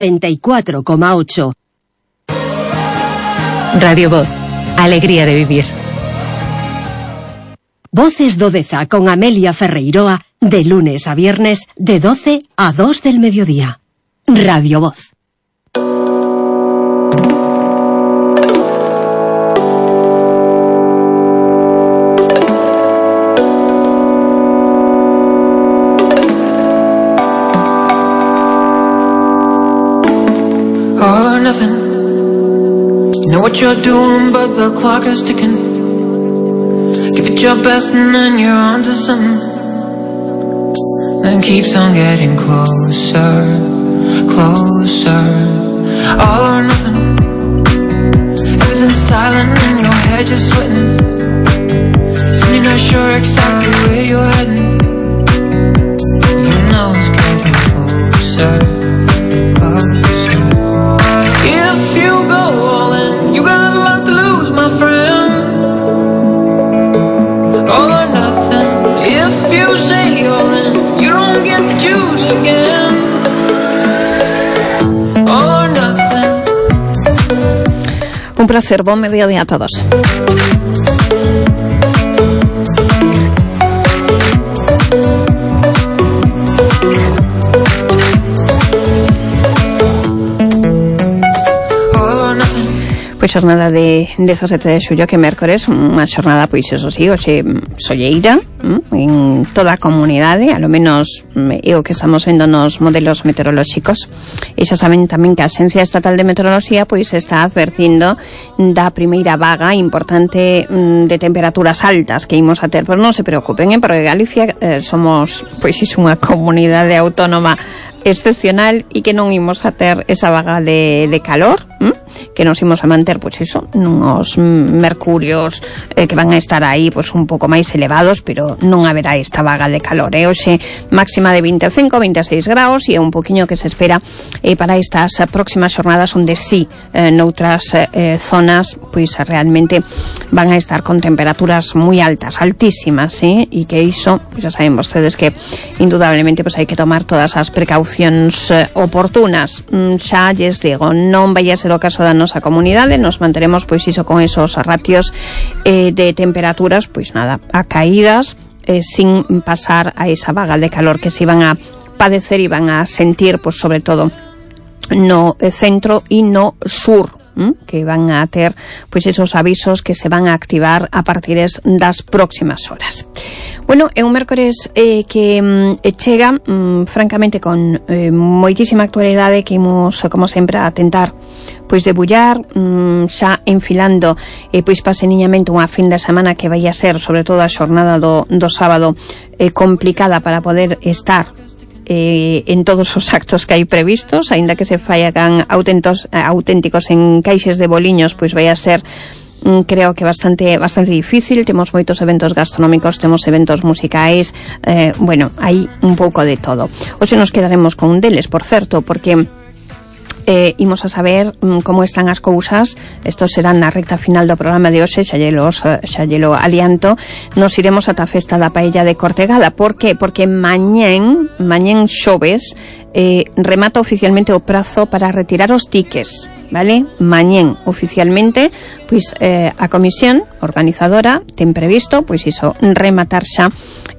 94,8. Radio Voz, alegría de vivir. Voces do Deza con Amelia Ferreiroa, de lunes a viernes, de 12 a 2 del mediodía. Radio Voz. All or nothing. You know what you're doing, but the clock is ticking. Give it your best and then you're on to something. Then keeps on getting closer, closer. All or nothing. Everything's silent in your head, you're sweating. Soon you're not sure exactly where you're heading. You know it's getting closer, closer. If you go all in, you got a lot to lose, my friend. All or nothing. If you say all in, you don't get to choose again. All or nothing. Un placer, buen mediodía a todos. Pois xornada de 17 de xullo, que mércores, unha xornada, pois eso sí, hoxe solleira en toda a comunidade, a lo menos é o que estamos vendo nos modelos meteorolóxicos. E xa saben tamén que a Axencia Estatal de Meteoroloxía pois está advertindo da primeira vaga importante de temperaturas altas que imos a ter, pero non se preocupen, porque Galicia somos pois iso unha comunidade autónoma excepcional e que non imos a ter esa vaga de calor, que nos imos a manter, pois iso, nos mercurios que van a estar aí pois un pouco máis elevados, pero non haberá esta vaga de calor. Hoxe máxima de 25, 26 graus e un poquinho que se espera para estas próximas xornadas, onde sí, noutras zonas, pois realmente van a estar con temperaturas moi altas, altísimas, e que iso, pois xa saben vostedes que indudablemente pois hai que tomar todas as precaucións oportunas. Xa lles digo, non vai a ser o caso da nosa comunidade, nos manteremos pois iso con esos ratios de temperaturas, pois nada, a caídas, sin pasar a esa vaga de calor que se van a padecer e van a sentir, pois sobre todo no centro e no sur, que van a ter pois esos avisos que se van a activar a partir das próximas horas. Bueno, é un mércores que chega francamente con moitísima actualidade, que imos, como sempre, a tentar pois debullar, xa enfilando pois paseniñamente unha fin de semana que vai a ser, sobre todo a xornada do sábado, complicada para poder estar en todos os actos que hai previstos, aínda que se faigan auténticos encaixes de boliños, pois vai a ser, creo que bastante difícil. Temos moitos eventos gastronómicos, temos eventos musicais, bueno, hai un pouco de todo. Hoxe nos quedaremos con un deles, por certo, porque imos a saber como están as cousas. Isto será na recta final do programa de hoxe, xa llelo alianto. Nos iremos ata a festa da paella de Cortegada. Por que? Porque mañén xoves remata oficialmente o prazo para retirar os tickets, vale? Mañén oficialmente, pois a comisión organizadora ten previsto, pois iso, rematar xa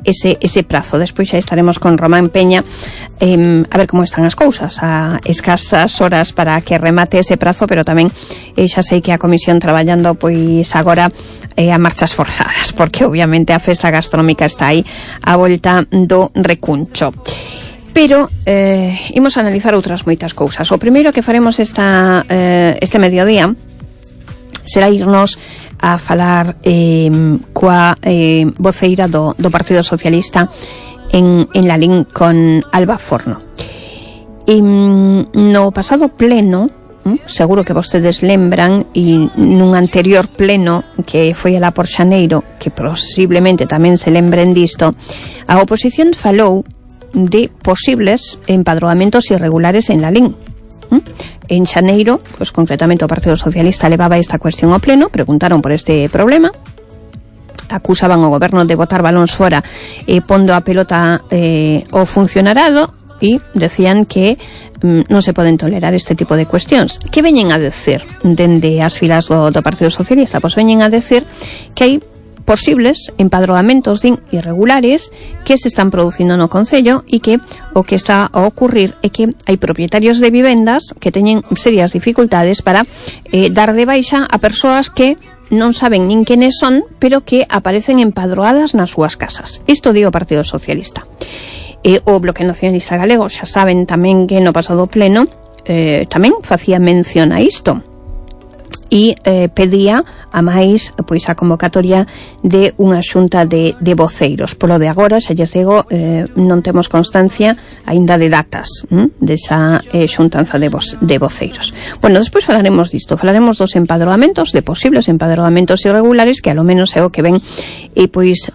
ese prazo. Despois xa estaremos con Román Peña a ver como están as cousas, a escasas horas para que remate ese prazo, pero tamén xa sei que a comisión traballando pois agora a marchas forzadas, porque obviamente a festa gastronómica está aí a volta do recuncho. Pero imos a analizar outras moitas cousas. O primeiro que faremos este mediodía será irnos a falar coa voceira do Partido Socialista en Lalín, con Alba Forno. No pasado pleno, seguro que vostedes lembran, e nun anterior pleno que foi alá por xaneiro, que posiblemente tamén se lembren disto, a oposición falou de posibles empadroamentos irregulares en Lalín. En xaneiro, pois concretamente o Partido Socialista levaba esta cuestión ao pleno, preguntaron por este problema, acusaban o goberno de botar balóns fora e pondo a pelota ao funcionarado, e decían que non se poden tolerar este tipo de cuestións. Que veñen a decir dende as filas do Partido Socialista? Pois veñen a decir que hai posibles empadroamentos irregulares que se están producindo no Concello e que o que está a ocurrir é que hai propietarios de vivendas que teñen serias dificultades para dar de baixa a persoas que non saben nin quenes son, pero que aparecen empadroadas nas súas casas. Isto di o Partido Socialista. O Bloque Nacionalista Galego xa saben tamén que no pasado pleno tamén facía mención a isto e pedía a máis pois a convocatoria de unha xunta de voceiros. Polo de agora, xa lles digo, non temos constancia aínda de datas desa xuntanza de voceiros. Bueno, despois falaremos disto, falaremos dos empadroamentos, de posibles empadroamentos irregulares que a lo menos é o que ven pois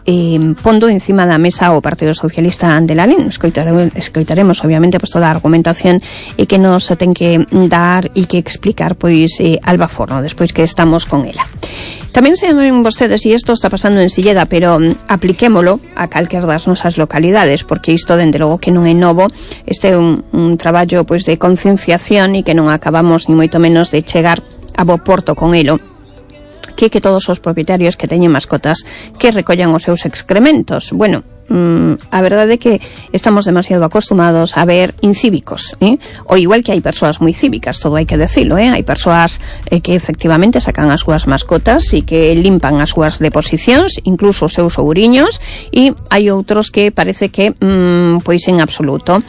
pondo encima da mesa o Partido Socialista de Lalín. Escoitaremos obviamente pois toda a argumentación e que nos ten que dar e que explicar pois Alba Forno despois que estamos con ela. Tamén saben vostedes, e isto está pasando en Silleda, pero apliquémolo a calquer das nosas localidades, porque isto, dende logo, que non é novo. Este é un traballo pois de concienciación e que non acabamos ni moito menos de chegar a bo porto con elo, que todos os propietarios que teñen mascotas que recollan os seus excrementos. Bueno, a verdade é que estamos demasiado acostumados a ver incívicos, o igual que hai persoas moi cívicas, todo hai que decilo, hai persoas que efectivamente sacan as súas mascotas e que limpan as súas deposicións, incluso os seus ouriños, e hai outros que parece que pois en absoluto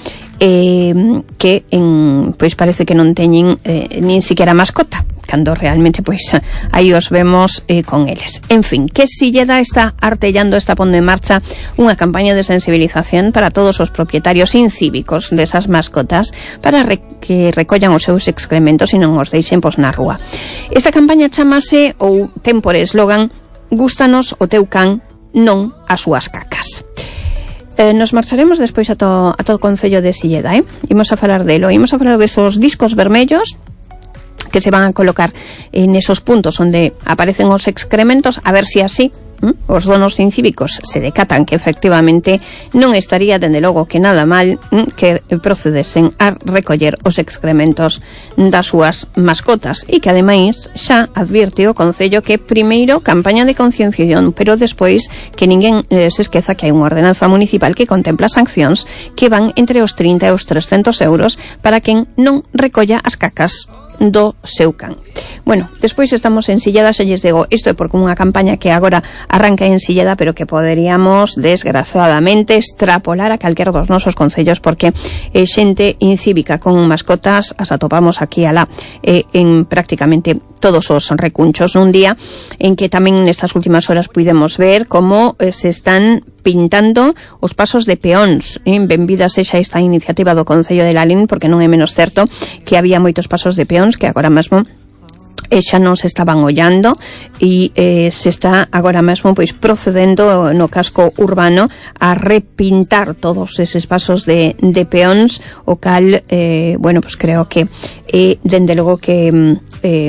pois parece que non teñen nin siquiera mascota, cando realmente pois aí os vemos con eles. En fin, que Silleda está artellando, está pondo en marcha unha campaña de sensibilización para todos os propietarios incívicos desas mascotas para que recollan os seus excrementos e non os deixen pois na rúa. Esta campaña chamase, ou ten por eslogan, "Gústanos o teu can, non as súas cacas". Nos marcharemos despois a todo o Concello de Silleda, Imos a falar delo, imos a falar desos discos vermellos que se van a colocar en esos puntos onde aparecen os excrementos, a ver se así os donos incívicos se decatan que efectivamente non estaría, dende logo, que nada mal que procedesen a recoller os excrementos das súas mascotas, e que ademais xa advirte o Concello que primeiro campaña de concienciación, pero despois que ninguén se esqueza que hai unha ordenanza municipal que contempla sancións que van entre os 30 e os 300 euros para quen non recolla as cacas do seu can. Bueno, despois estamos en Silleda, xa lles digo, isto é porque unha campaña que agora arranca en Silleda, pero que poderíamos, desgraciadamente, extrapolar a calquera dos nosos concellos, porque xente incívica con mascotas as atopamos aquí alá en prácticamente todos os recunchos, nun día en que tamén nestas últimas horas puidemos ver como se están pintando os pasos de peóns. Benvida sexa esta iniciativa do Concello de Lalín, porque non é menos certo que había moitos pasos de peóns que agora mesmo xa non se estaban ollando e se está agora mesmo pois procedendo no casco urbano a repintar todos eses pasos de peóns, o cal bueno, pues creo que dende logo que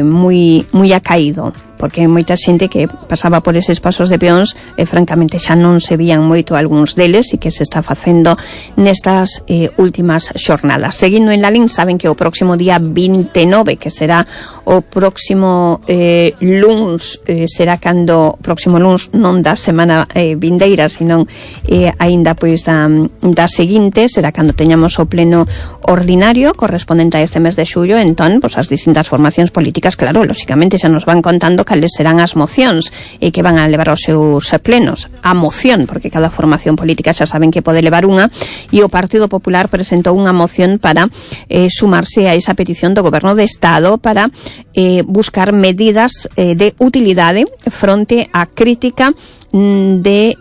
moi acaído, porque hai moita xente que pasaba por eses pasos de peóns e francamente xa non se vían moito algúns deles, e que se está facendo nestas últimas xornadas. Seguindo en Lalín, saben que o próximo día 29, que será o próximo luns, será cando próximo luns non da semana vindeira, senón aínda pois da seguinte, será cando teñamos o pleno ordinario correspondente a este mes de xullo. Entón, pois as distintas formacións políticas, claro, lóxicamente xa nos van contando cales serán as mocións e que van a levar aos seus plenos. A moción, porque cada formación política xa saben que pode levar unha, e o Partido Popular presentou unha moción para sumarse a esa petición do Goberno de Estado para buscar medidas de utilidade fronte á crítica de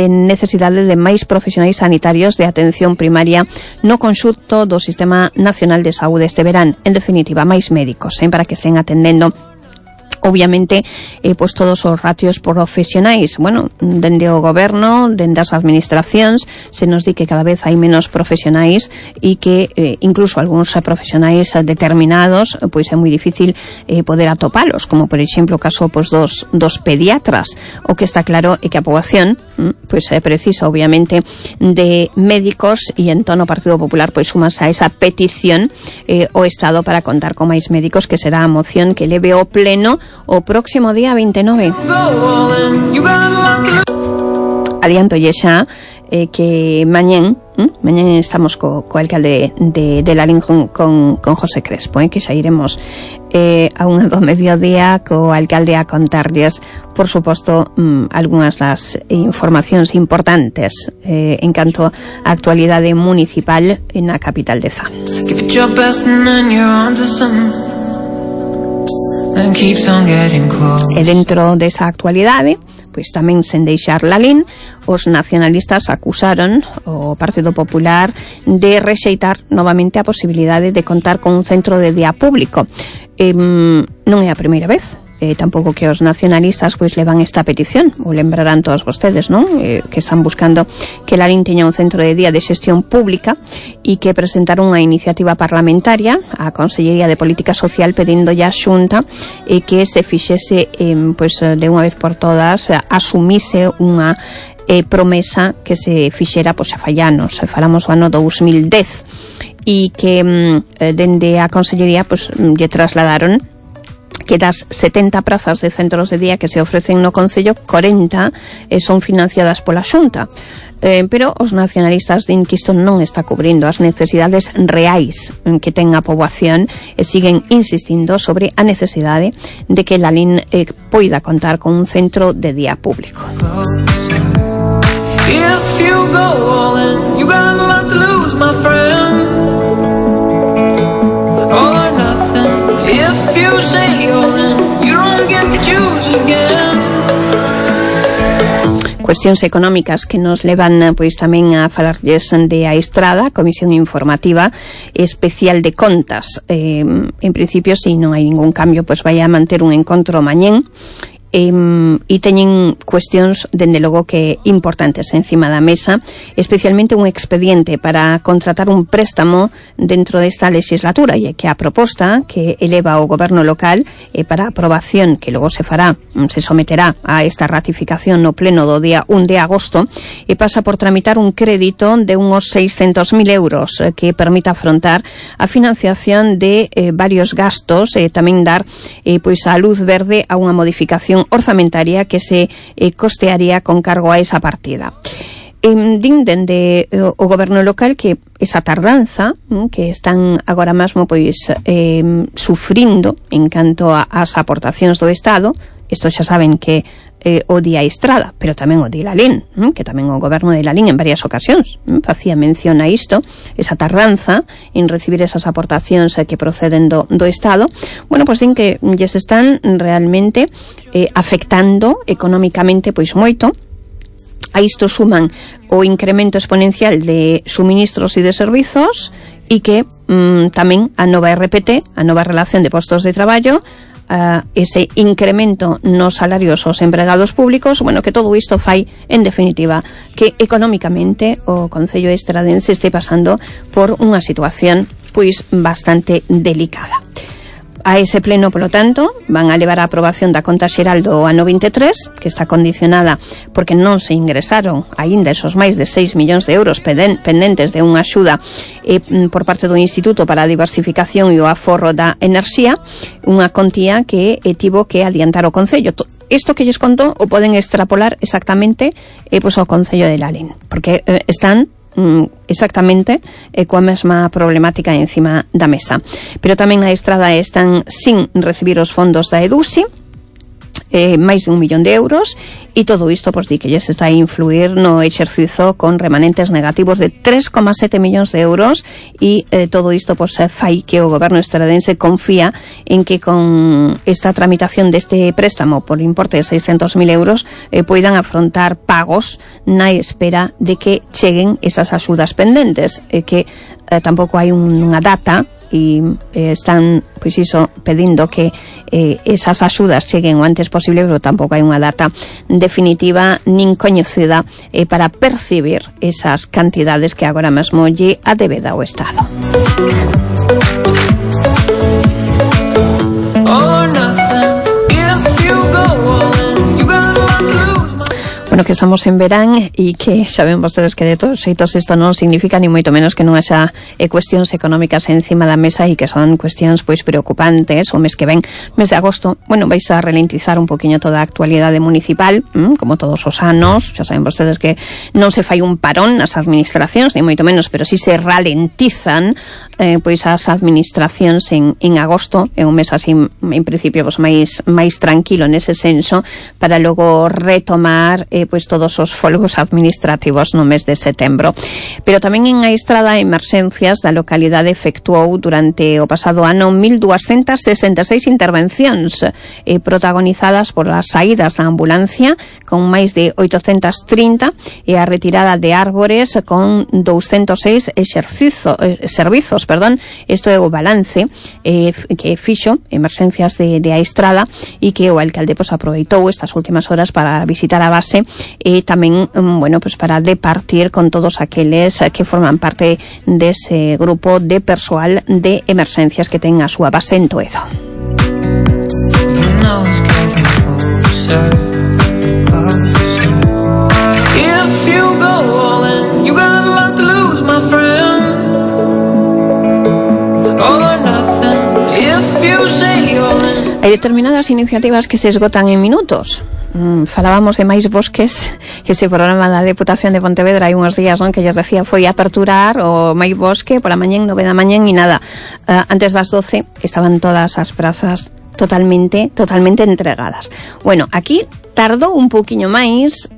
necesidade de máis profesionais sanitarios de atención primaria no conxunto do Sistema Nacional de Saúde este verán. En definitiva, máis médicos, para que estén atendendo obviamente, pois todos os ratios profesionais, bueno, dende o goberno, dende as administracións, se nos di que cada vez hai menos profesionais e que incluso algúns profesionais determinados, pois é moi difícil poder atopalos, como por exemplo o caso pois dos pediatras. O que está claro é que a poboación pois precisa obviamente de médicos, e entón o Partido Popular pois sumas a esa petición o Estado para contar con máis médicos, que será a moción que leve ao pleno o próximo día 29. Adiantolle xa que mañén estamos co alcalde de Lalín con José Crespo, que xa iremos a unha do mediodía co alcalde a contarlles, por suposto, algunhas das informacións importantes en canto á actualidade municipal na capital de Zá. E dentro desa actualidade, pois tamén sen deixar Lalín, os nacionalistas acusaron o Partido Popular de rexeitar novamente a posibilidade de contar con un centro de día público. Non é a primeira vez, tampouco que os nacionalistas pois levan esta petición, o lembrarán todos vostedes, non? Que están buscando que Lalín teña un centro de día de xestión pública, e que presentaron unha iniciativa parlamentaria á Consellería de Política Social pedindo a Xunta que se fixese pois de unha vez por todas, asumise unha promesa que se fixera pois a fai anos, falamos do ano 2010, e que dende a Consellería pois lle trasladaron que das 70 prazas de centros de día que se ofrecen no Concello, 40 son financiadas pola Xunta. Pero os nacionalistas din que isto non está cubrindo as necesidades reais que ten a poboación, e siguen insistindo sobre a necesidade de que Lalín poida contar con un centro de día público. If you go all in, you got a lot to lose, my friend. All or nothing. If you say all in, you don't get to choose again. Cuestións económicas que nos levan pois tamén a falarlles de a Estrada, Comisión Informativa Especial de Contas. En principio, se non hai ningún cambio, pois vai a manter un encontro mañén, e teñen cuestións dende logo que importantes encima da mesa, especialmente un expediente para contratar un préstamo dentro desta legislatura, e que a proposta que eleva o goberno local para aprobación, que logo se someterá a esta ratificación no pleno do día 1 de agosto, e pasa por tramitar un crédito de unos 600.000 euros que permita afrontar a financiación de varios gastos, e tamén dar pois a luz verde a unha modificación orzamentaria que se costearía con cargo a esa partida. Din dende o goberno local que esa tardanza que están agora mesmo pois sufrindo en canto ás aportacións do Estado, isto xa saben que o di a Estrada, pero tamén o di Lalín, que tamén o goberno de Lalín en varias ocasións facía mención a isto, esa tardanza en recibir esas aportacións que proceden do Estado. Bueno, pois din que lles están realmente afectando económicamente pois moito. A isto suman o incremento exponencial de suministros e de servizos, e que tamén a nova RPT, a nova relación de postos de traballo, ese incremento nos salarios aos empregados públicos, bueno, que todo isto fai, en definitiva, que económicamente o Concello estradense este pasando por unha situación pois bastante delicada. A ese pleno, polo tanto, van a levar a aprobación da conta xeral do ano 23, que está condicionada porque non se ingresaron aínda esos máis de 6 millóns de euros pendentes de unha axuda por parte do Instituto para a Diversificación e o Aforro da Enerxía, unha contía que tivo que adiantar o Concello. Isto que lles conto o poden extrapolar exactamente pois ao Concello de Lalín, porque están exactamente coa mesma problemática encima da mesa. Pero tamén a Estrada están sin recibir os fondos da EDUSI, máis de 1 millón de euros, e todo isto pois di que lles está a influir no exercizo con remanentes negativos de 3,7 millóns de euros, e todo isto pois fai que o goberno estradense confía en que con esta tramitación deste préstamo por importe de 600.000 euros poidan afrontar pagos na espera de que cheguen esas axudas pendentes, que tampouco hai unha data e están, pois iso, pedindo que esas axudas cheguen o antes posible, pero tampouco hai unha data definitiva nin coñecida para percibir esas cantidades que agora mesmo lle adebeda o Estado. Bueno, que estamos en verán e que xa ven vostedes que de todos xeitos isto non significa ni moito menos que non haxa cuestións económicas encima da mesa e que son cuestións pois preocupantes. O mes que ven, mes de agosto, bueno, vais a ralentizar un poquinho toda a actualidade municipal, como todos os anos. Xa saben vostedes que non se fai un parón nas administracións, ni moito menos, pero si se ralentizan pois as administracións en agosto. É un mes así, en principio, pois máis tranquilo nese senso, para logo retomar pois todos os folgos administrativos no mes de setembro. Pero tamén en Aistrada Emerxencias da localidade efectuou durante o pasado ano 1266 intervencións protagonizadas por as saídas da ambulancia con máis de 830 e a retirada de árbores con 206 servizos. Isto é o balance que fixo Emerxencias de Aistrada e que o alcalde pois aproveitou estas últimas horas para visitar a base e tamén, bueno, pues para departir con todos aqueles que forman parte dese grupo de persoal de emerxencias que ten a súa base en Toedo. Hai determinadas iniciativas que se esgotan en minutos. Falábamos de máis bosques, ese programa da Deputación de Pontevedra hai uns días, non, que lles decía foi aperturar o máis bosque pola mañán, 9 da mañán e nada, antes das 12 estaban todas as prazas totalmente entregadas. Bueno, aquí tardou un pouquiño máis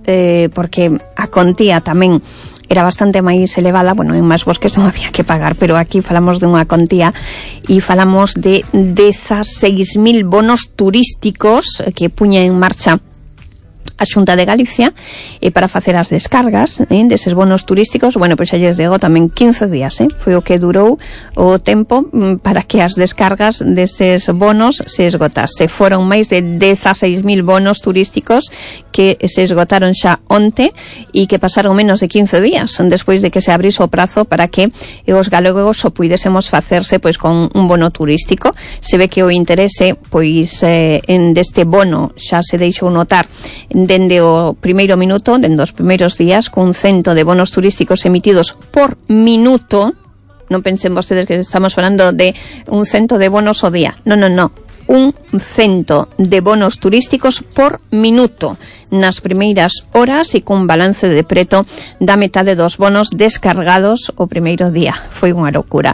porque a contía tamén era bastante máis elevada. Bueno, en máis bosques non había que pagar, pero aquí falamos dunha contía e falamos de 16.000 bonos turísticos que puña en marcha a Xunta de Galicia para facer as descargas deses bonos turísticos. Bueno, pois xa lles digo tamén 15 días, foi o que durou o tempo para que as descargas deses bonos se esgotase. Foron máis de 16.000 bonos turísticos que se esgotaron xa onte e que pasaron menos de 15 días despois de que se abrise o prazo para que os galegos o puidésemos facerse pois con un bono turístico. Se ve que o interese pois en deste bono xa se deixou notar dende o primeiro minuto, dende os primeiros días, con 100 de bonos turísticos emitidos por minuto. Non pensen vostedes que estamos falando de un 100 de bonos ao día. Non. Un 100 de bonos turísticos por minuto nas primeiras horas e cun balance de preto da metade dos bonos descargados o primeiro día. Foi unha locura.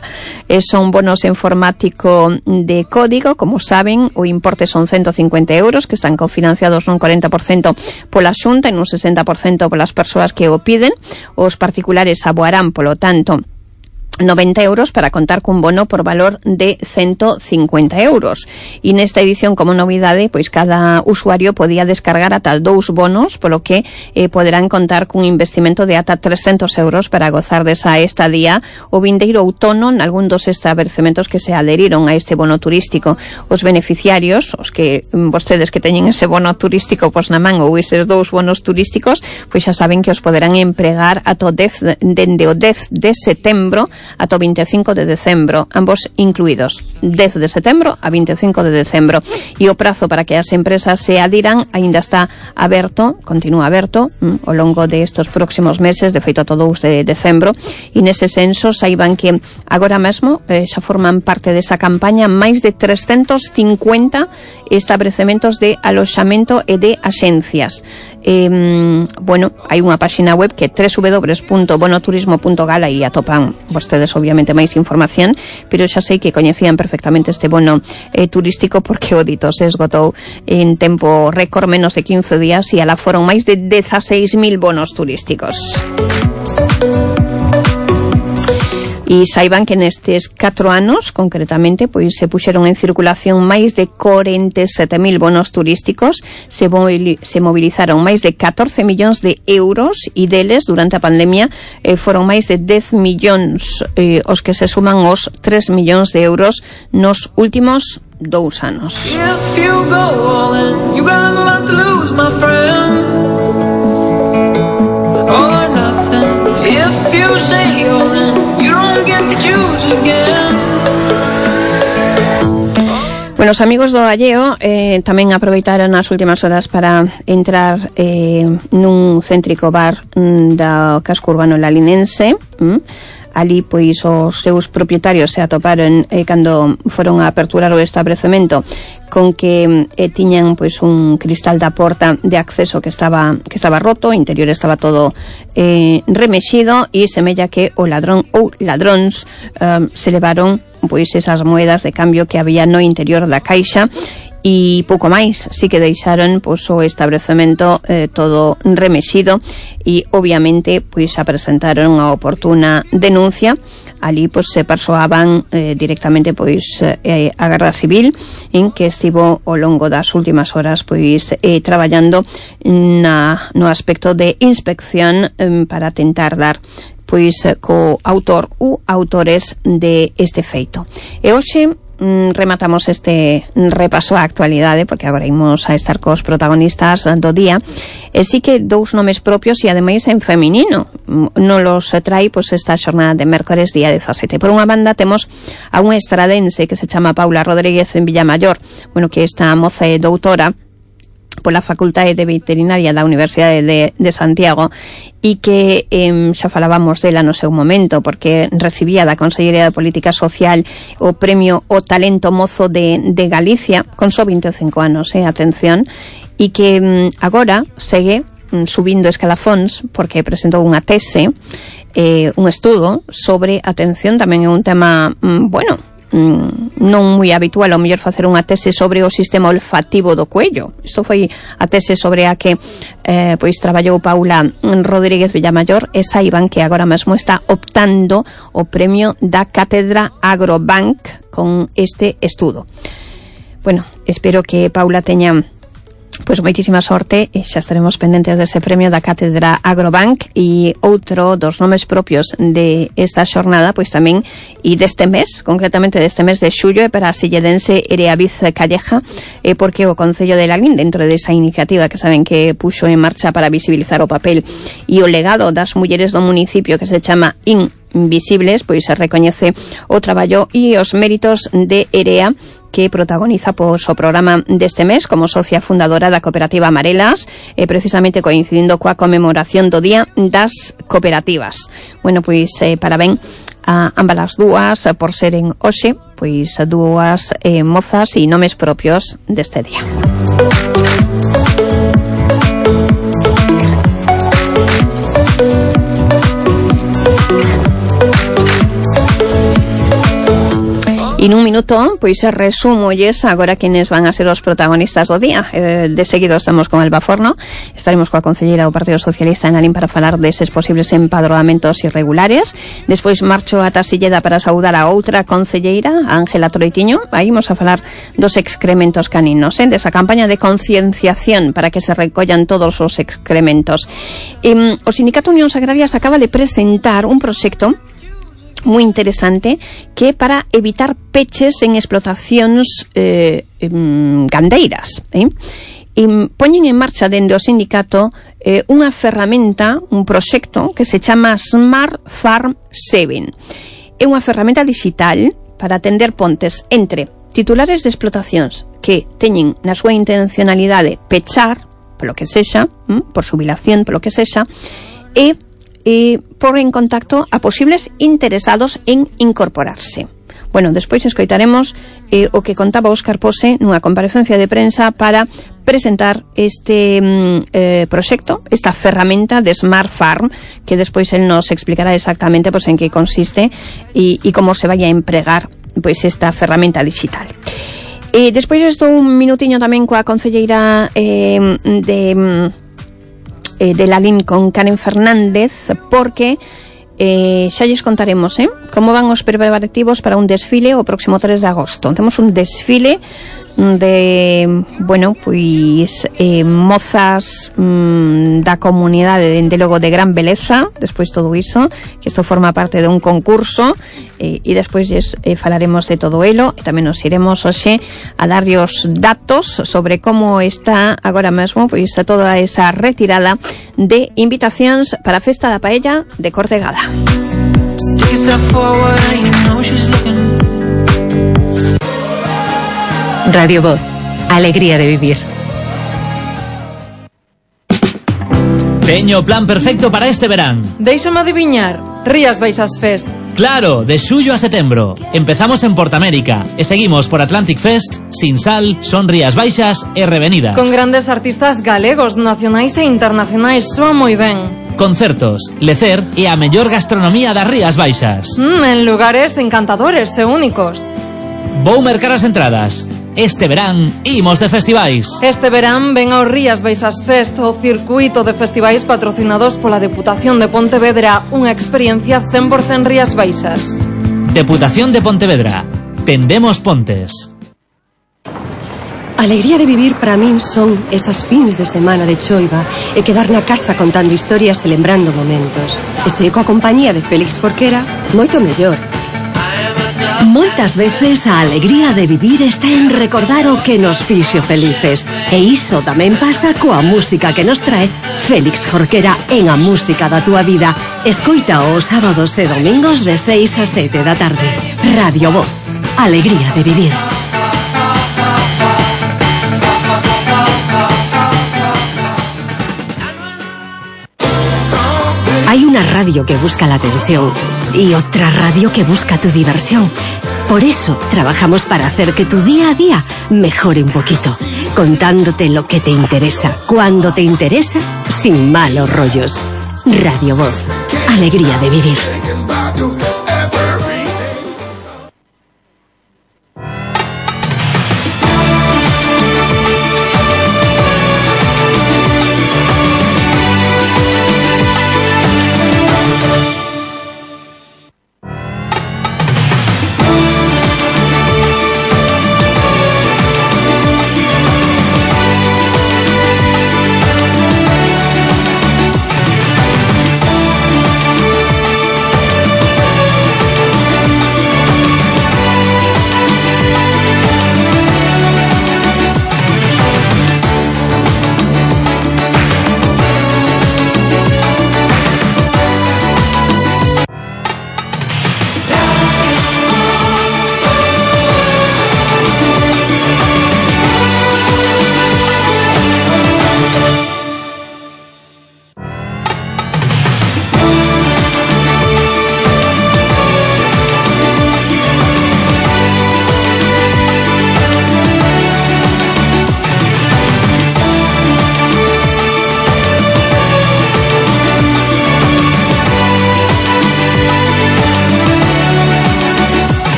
Son bonos en formático de código, como saben, o importe son 150 euros, que están cofinanciados nun 40% pola Xunta e nun 60% polas persoas que o piden. Os particulares aboarán, polo tanto, 90 euros para contar cun bono por valor de 150 euros. E nesta edición, como novidade, pois cada usuario podía descargar ata 2 bonos, polo que poderán contar cun investimento de ata 300 euros para gozar desa estadía o vindeiro outono nalgún dos establecementos que se adheriron a este bono turístico. Os beneficiarios, os que vostedes que teñen ese bono turístico pois na man ou eses 2 bonos turísticos, pois xa saben que os poderán empregar ata dende o 10 de setembro ata o 25 de decembro, ambos incluídos, 10 de setembro a 25 de decembro. E o prazo para que as empresas se adiran aínda está aberto, continúa aberto ao longo de estos próximos meses, de feito todo o de decembro, e nese senso saiban que agora mesmo xa forman parte desa campaña máis de 350 establecementos de aloxamento e de axencias. Bueno, hai unha páxina web que é www.bonoturismo.gala e atopan vostedes obviamente máis información, pero xa sei que coñecían perfectamente este bono turístico porque o dito se esgotou en tempo récord, menos de 15 días, e alá foron máis de 16.000 bonos turísticos. E saiban que nestes 4 anos, concretamente, pois se puxeron en circulación máis de 47.000 bonos turísticos, se mobilizaron máis de 14 millóns de euros e deles, durante a pandemia, foron máis de 10 millóns os que se suman os 3 millóns de euros nos últimos 2 anos. If you go all in, you got a lot to lose, my friend. All or nothing. If you say all in, you don't get to choose again. Bueno, os amigos do Alleo tamén aproveitaron as últimas horas para entrar nun céntrico bar da casco urbano lalinense. Ali, pois, os seus propietarios se atoparon cando foron a aperturar o establecemento con que tiñan, pois, un cristal da porta de acceso que estaba roto, o interior estaba todo remexido, e semella que o ladrón ou ladróns se levaron, pois, esas moedas de cambio que había no interior da caixa, e pouco máis, si que deixaron, pois, o establecemento todo remexido, e obviamente, pois, presentaron a oportuna denuncia. Ali, pois, se persoaban directamente, pois, a Garda Civil, en que estivo ao longo das últimas horas, pois, traballando no aspecto de inspección para tentar dar, pois, co autor ou autores de este feito. E hoxe rematamos este repaso á actualidade, porque agora imos a estar cos protagonistas do día, e sí que 2 nomes propios e ademais en feminino non los trai, pois, esta xornada de mércores día 17. Por unha banda temos a unha estradense que se chama Paula Rodríguez en Villamayor, bueno, que esta moza é doutora pola Facultade de Veterinaria da Universidade de Santiago, e que xa falábamos dela no seu momento, porque recibía da Consellería de Política Social o premio O Talento Mozo de Galicia con só 25 anos, atención, e que agora segue subindo escalafóns porque presentou unha tese, un estudo sobre, atención, tamén é un tema, bueno, non moi habitual ao mellor facer unha tese sobre o sistema olfativo do cuello. Isto foi a tese sobre a que pois traballou Paula Rodríguez Villamayor, e saiban que agora mesmo está optando o premio da Cátedra Agrobank con este estudo. Bueno, espero que Paula teña, pois, moitísima sorte, e xa estaremos pendentes dese premio da Cátedra Agrobank. E outro dos nomes propios de esta xornada, pois tamén, e deste mes, concretamente deste mes de xullo, é para a silledense Ereaviz Calleja, porque o Concello de Lalín, dentro desa iniciativa que saben que puxo en marcha para visibilizar o papel e o legado das mulleres do municipio, que se chama Invisibles, pois se recoñece o traballo e os méritos de Erea, que protagoniza, pois, o programa deste mes como socia fundadora da cooperativa Amarelas, precisamente coincidindo coa conmemoración do Día das Cooperativas. Bueno, pois, parabén a ambas as dúas por seren hoxe, pois, dúas mozas e nomes propios deste día. E nun minuto, pois, resumolles agora quenes van a ser os protagonistas do día. De seguido estamos con Alba Forno, estaremos coa concelleira do Partido Socialista en Lalín para falar deses posibles empadroamentos irregulares. Despois marcho ata Silleda para saudar a outra concelleira, a Ángela Troitiño. Aí imos a falar dos excrementos caninos, desa campaña de concienciación para que se recollan todos os excrementos. O Sindicato Unións Agrarias acaba de presentar un proxecto moi interesante que é para evitar peches en explotacións gandeiras. Poñen en marcha dende o sindicato unha ferramenta, un proxecto que se chama Smart Farm 7. É unha ferramenta digital para atender pontes entre titulares de explotacións que teñen na súa intencionalidade pechar, polo que sexa, por xubilación, polo que sexa, e por en contacto a posibles interesados en incorporarse. Bueno, despois escoitaremos o que contaba Óscar Pose nunha comparecencia de prensa para presentar este proxecto, esta ferramenta de Smart Farm, que despois él nos explicará exactamente, pois, en que consiste e como se vai a empregar, pois, esta ferramenta digital. Despois estou un minutiño tamén coa concelleira de Lalín, con Karen Fernández, porque xa lles contaremos como van os preparativos para un desfile o próximo 3 de agosto. Temos un desfile de, bueno, pois mozas da comunidade, dende logo de gran beleza. Despois todo iso, que isto forma parte de un concurso, e despois falaremos de todo elo, e tamén nos iremos hoxe a darlle os datos sobre como está agora mesmo pois a toda esa retirada de invitacións para a festa da paella de Cortegada. Radio Voz, alegría de vivir. Teño o plan perfecto para este verán. Déixame adiviñar, Rías Baixas Fest. Claro, de xullo a setembro. Empezamos en Portamérica e seguimos por Atlantic Fest, Sinsal, Son Rías Baixas e Revenidas. Con grandes artistas galegos, nacionais e internacionais, soa moi ben. Concertos, lecer e a mellor gastronomía das Rías Baixas. En lugares encantadores e únicos. Vou mercar as entradas. Este verán imos de festivais. Este verán ven ao Rías Baixas Fest, o circuito de festivais patrocinados pola Deputación de Pontevedra, unha experiencia 100% Rías Baixas. Deputación de Pontevedra. Tendemos pontes. A alegría de vivir para min son esas fins de semana de choiva e quedar na casa contando historias e lembrando momentos. E se coa compañía de Félix Jorquera, moito mellor. Moitas veces a alegría de vivir está en recordar o que nos fixo felices. E iso tamén pasa coa música que nos trae Félix Jorquera en A Música da Túa Vida. Escoita os sábados e domingos de 6 a 7 da tarde. Radio Voz, alegría de vivir. Hay una radio que busca la atención y otra radio que busca tu diversión. Por eso trabajamos para hacer que tu día a día mejore un poquito, contándote lo que te interesa, cuando te interesa, sin malos rollos. Radio Voz, alegría de vivir.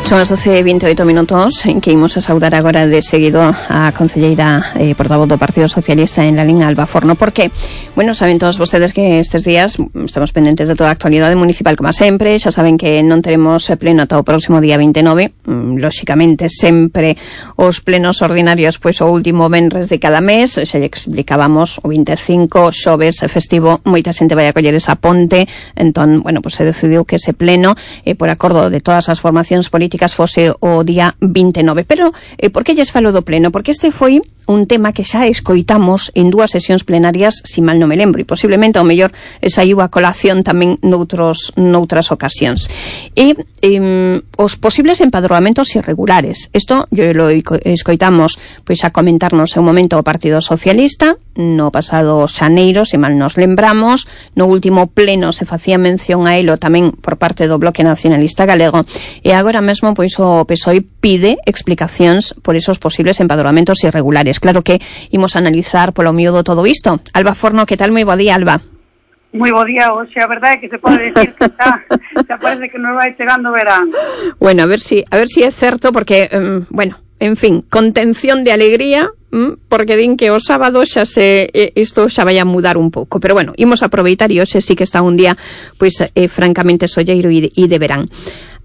Son as 12:28 minutos en que imos a saudar agora de seguido a concelleira portavoz do Partido Socialista en Lalín, Alba Forno, porque, bueno, saben todos vostedes que estes días estamos pendentes de toda a actualidade municipal como sempre. Xa saben que non teremos pleno ata o próximo día 29, lóxicamente sempre os plenos ordinarios pois o último venres de cada mes. Xa lle explicábamos o 25 xoves festivo, moita xente vai a coller esa ponte, entón, bueno, pois se decidiu que ese pleno por acordo de todas as formacións políticas fose o día 29. Pero, por que lles falo do pleno? Porque este foi un tema que xa escoitamos en dúas sesións plenarias, si mal non me lembro, e posiblemente ao mellor saiu a colación tamén noutras ocasións. E os posibles empadroamentos irregulares. Isto yo lo escoitamos pois a comentarnos en un momento o Partido Socialista no pasado xaneiro, se mal nos lembramos. No último pleno se facía mención a elo tamén por parte do Bloque Nacionalista Galego, e agora mesmo pois o PSOE pide explicacións por esos posibles empadroamentos irregulares. Claro que imos a analizar polo miúdo todo isto. Alba Forno, que tal? Moi bo día, Alba. Moi bo día hoxe, a verdade é que se pode decir que xa parece que nos vai chegando verán. Bueno, a ver si é certo, porque, bueno, en fin, contención de alegría, porque din que o sábado isto xa vai a mudar un pouco, pero bueno, imos aproveitar e hoxe sí que está un día, pois, francamente solleiro e de verán.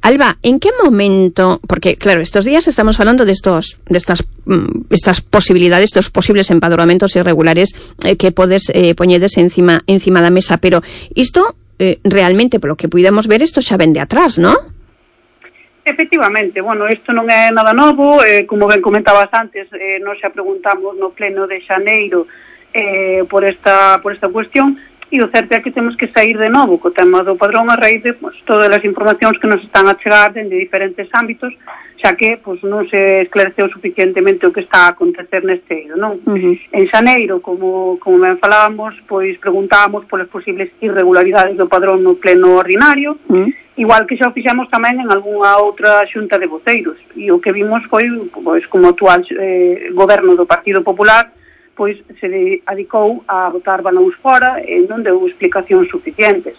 Alba, ¿en qué momento? Porque, claro, estos días estamos hablando de estas posibilidades, estos posibles empadronamientos irregulares que podes poñedes encima da mesa, pero isto realmente, polo que puidemos ver, isto xa ven de atrás, ¿no? Efectivamente, bueno, isto non é nada novo, como ben comentabas antes, nos xa preguntamos no pleno de xaneiro por esta cuestión. E o certo é que temos que sair de novo co tema do padrón a raíz de todas as informacións que nos están a chegar dende diferentes ámbitos, xa que non se esclareceu suficientemente o que está a acontecer neste eido, non? En xaneiro, como ben falábamos, pois preguntábamos polas posibles irregularidades do padrón no pleno ordinario, igual que xa o fixemos tamén en algunha outra xunta de voceiros, e o que vimos foi, pois, como actual goberno do Partido Popular, pois se dedicou a botar balóns fora e non deu explicacións suficientes.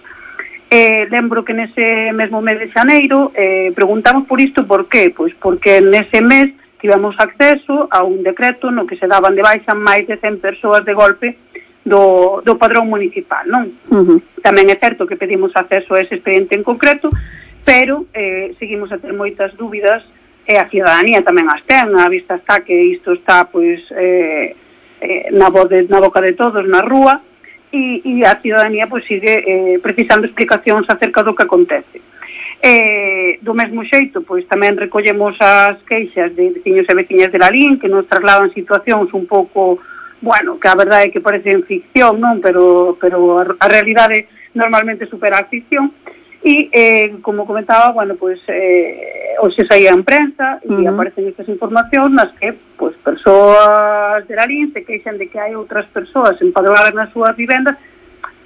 Lembro que nese mesmo mes de xaneiro preguntamos por isto por qué, pois porque nese mes tivemos acceso a un decreto no que se daban de baixa máis de 100 persoas de golpe do padrón municipal, non? Tamén é certo que pedimos acceso a ese expediente en concreto, pero seguimos a ter moitas dúbidas e a ciudadanía tamén as ten, a vista está que isto está, pois, na boca de todos, na rúa, e a ciudadanía pois sigue precisando explicacións acerca do que acontece. Do mesmo xeito, pois tamén recollemos as queixas de veciños e veciñas de Lalín que nos trasladan situacións un pouco, bueno, que a verdade é que parecen ficción, non? Pero a realidade normalmente supera a ficción. E, como comentaba, bueno, pois hoxe saía en prensa e aparecen estas informacións nas que, pois, persoas de Lalín se queixan de que hai outras persoas empadroadas nas súas vivendas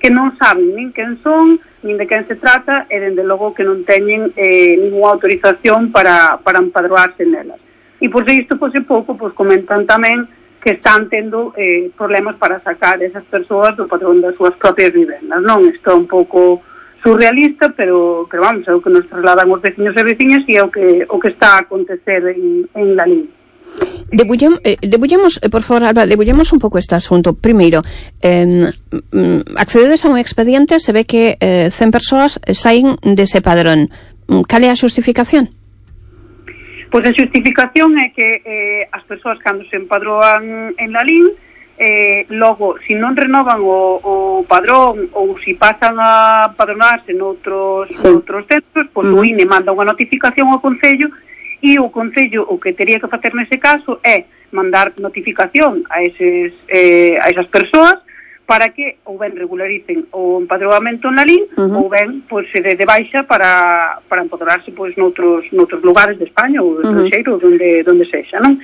que non saben nin quen son, nin de quen se trata e, dende logo, que non teñen ninguna autorización para empadroarse nelas. E, por isto, pois, en pouco, pois, comentan tamén que están tendo problemas para sacar esas persoas do padrón das súas propias vivendas, non? Isto é un pouco surrealista, pero vamos, é o que nos trasladan os veciños e veciñas e é o que está a acontecer en Lalín. Debullemos, por favor, Alba, debullemos un pouco este asunto. Primeiro, accededes a un expediente, se ve que 100 persoas saen dese padrón. Cal é a xustificación? Pois a xustificación é que as persoas cando se empadroan en Lalín, logo, se non renovan o padrón ou se pasan a padronarse noutros centros, pois o INE manda unha notificación ao Concello e o Concello o que teria que facer nese caso é mandar notificación a esas persoas para que ou ben regularicen o empadroamento en Lalín ou ben pois se de baixa para empadronarse pois noutros lugares de España ou do estranxeiro onde sexa, non?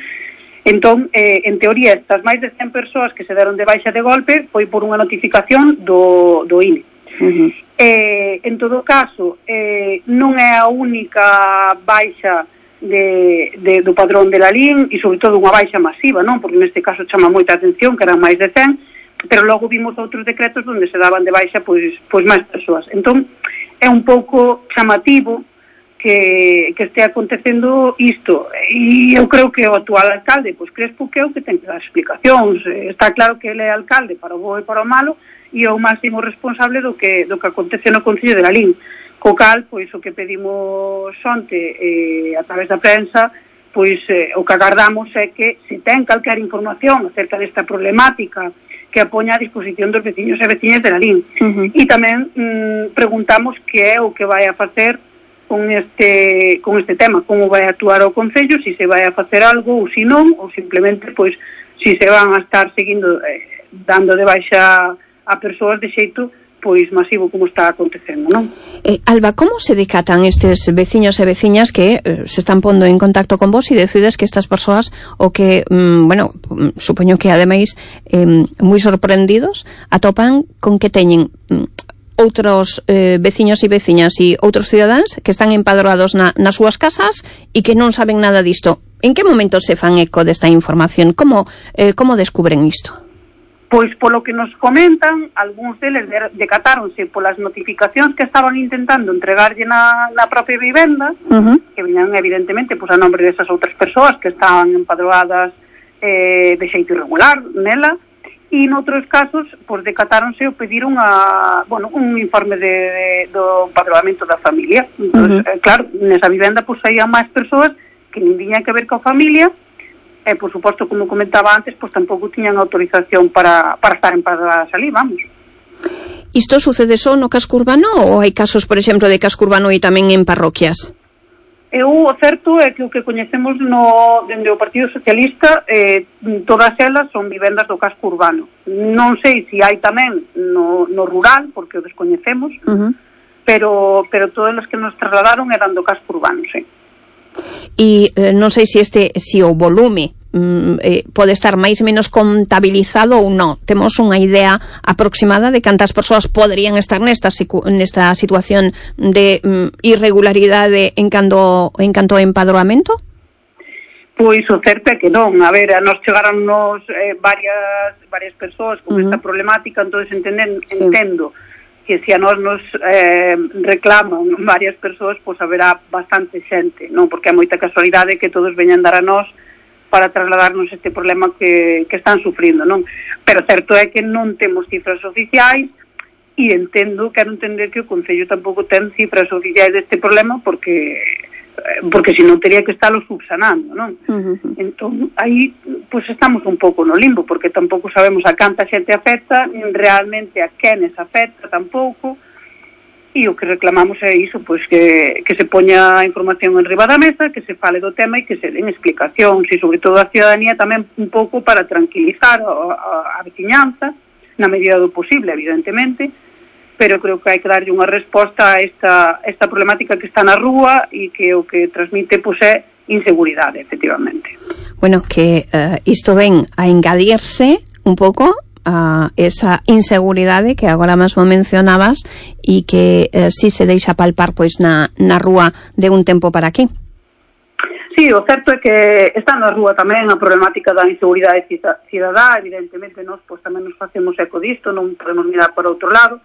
Entón, en teoría, estas máis de 100 persoas que se deron de baixa de golpe foi por unha notificación do INE. En todo caso, non é a única baixa do padrón de Lalín e, sobre todo, unha baixa masiva, non? Porque neste caso chama moita atención, que eran máis de 100, pero logo vimos outros decretos onde se daban de baixa pois máis persoas. Entón, é un pouco chamativo que este acontecendo isto, e eu creo que o actual alcalde, pois Crespo, que é o que ten que dar explicacións. Está claro que ele é alcalde para o bo e para o malo e é o máximo responsable do que acontece no Concello de Lalín. Co cal, pois o que pedimos onte a través da prensa, pois o que agardamos é que se ten calquer información acerca desta problemática que a poña a disposición dos veciños e veciñas de Lalín. E tamén preguntamos que é o que vai a facer con este tema, como vai a actuar o Concello, se se vai a facer algo ou se non, ou simplemente pois se se van a estar seguindo dando de baixa a persoas de xeito pois masivo como está acontecendo, non? Alba, como se decatan estes veciños e veciñas que se están pondo en contacto con vos e decides que estas persoas o que, bueno, supoño que ademais moi sorprendidos atopan con que teñen outros veciños e veciñas e outros cidadáns que están empadroados nas súas casas e que non saben nada disto. En que momento se fan eco desta información? Como descubren isto? Pois polo que nos comentan, algúns deles decatáronse polas notificacións que estaban intentando entregarlle na propia vivenda, que viñan evidentemente pois a nombre desas outras persoas que estaban empadroadas de xeito irregular nela, e noutros casos pois decatáronse ou pediron un informe do empadroamento da familia. Entón, claro, nesa vivenda pois saían máis persoas que nin tiñan que ver coa familia. E, por suposto, como comentaba antes, pois tampouco tiñan autorización para estar empadroadas ali, vamos. Isto sucede só no casco urbano ou hai casos, por exemplo, de casco urbano e tamén en parroquias? O certo é que o que coñecemos dende o Partido Socialista, todas elas son vivendas do casco urbano. Non sei se hai tamén no rural, porque o descoñecemos, pero todas as que nos trasladaron eran do casco urbano, sí. E non sei se o volume pode estar máis ou menos contabilizado ou non. Temos unha idea aproximada de cantas persoas poderían estar nesta situación de irregularidade en canto ao empadroamento? Pois o certo é que non. A ver, a nos chegaronnos varias persoas con esta problemática, entón entendo que se a nos reclaman varias persoas, pois haberá bastante xente, non? Porque é moita casualidade que todos veñan dar a nós para trasladarnos este problema que están sufrindo, non? Pero certo é que non temos cifras oficiais e quero entender que o Concello tampouco ten cifras oficiais deste problema porque senón tería que estarlo subsanando, non? Entón, aí, pois estamos un pouco no limbo, porque tampouco sabemos a canta xente afecta, nin realmente a quenes afecta tampouco, e o que reclamamos é iso, pois que se poña a información en riba da mesa, que se fale do tema e que se den explicacións, e sobre todo a ciudadanía tamén un pouco para tranquilizar a veciñanza, na medida do posible, evidentemente, pero creo que hai que darlle unha resposta a esta problemática que está na rúa e que o que transmite pois é inseguridade, efectivamente. Bueno, que isto ven a engadirse un pouco a esa inseguridade que agora mesmo mencionabas e que si se deixa palpar pois na rúa de un tempo para aquí. Sí, o certo é que está na rúa tamén a problemática da inseguridade cidadá, evidentemente nós pois tamén nos facemos eco disto, non podemos mirar para outro lado.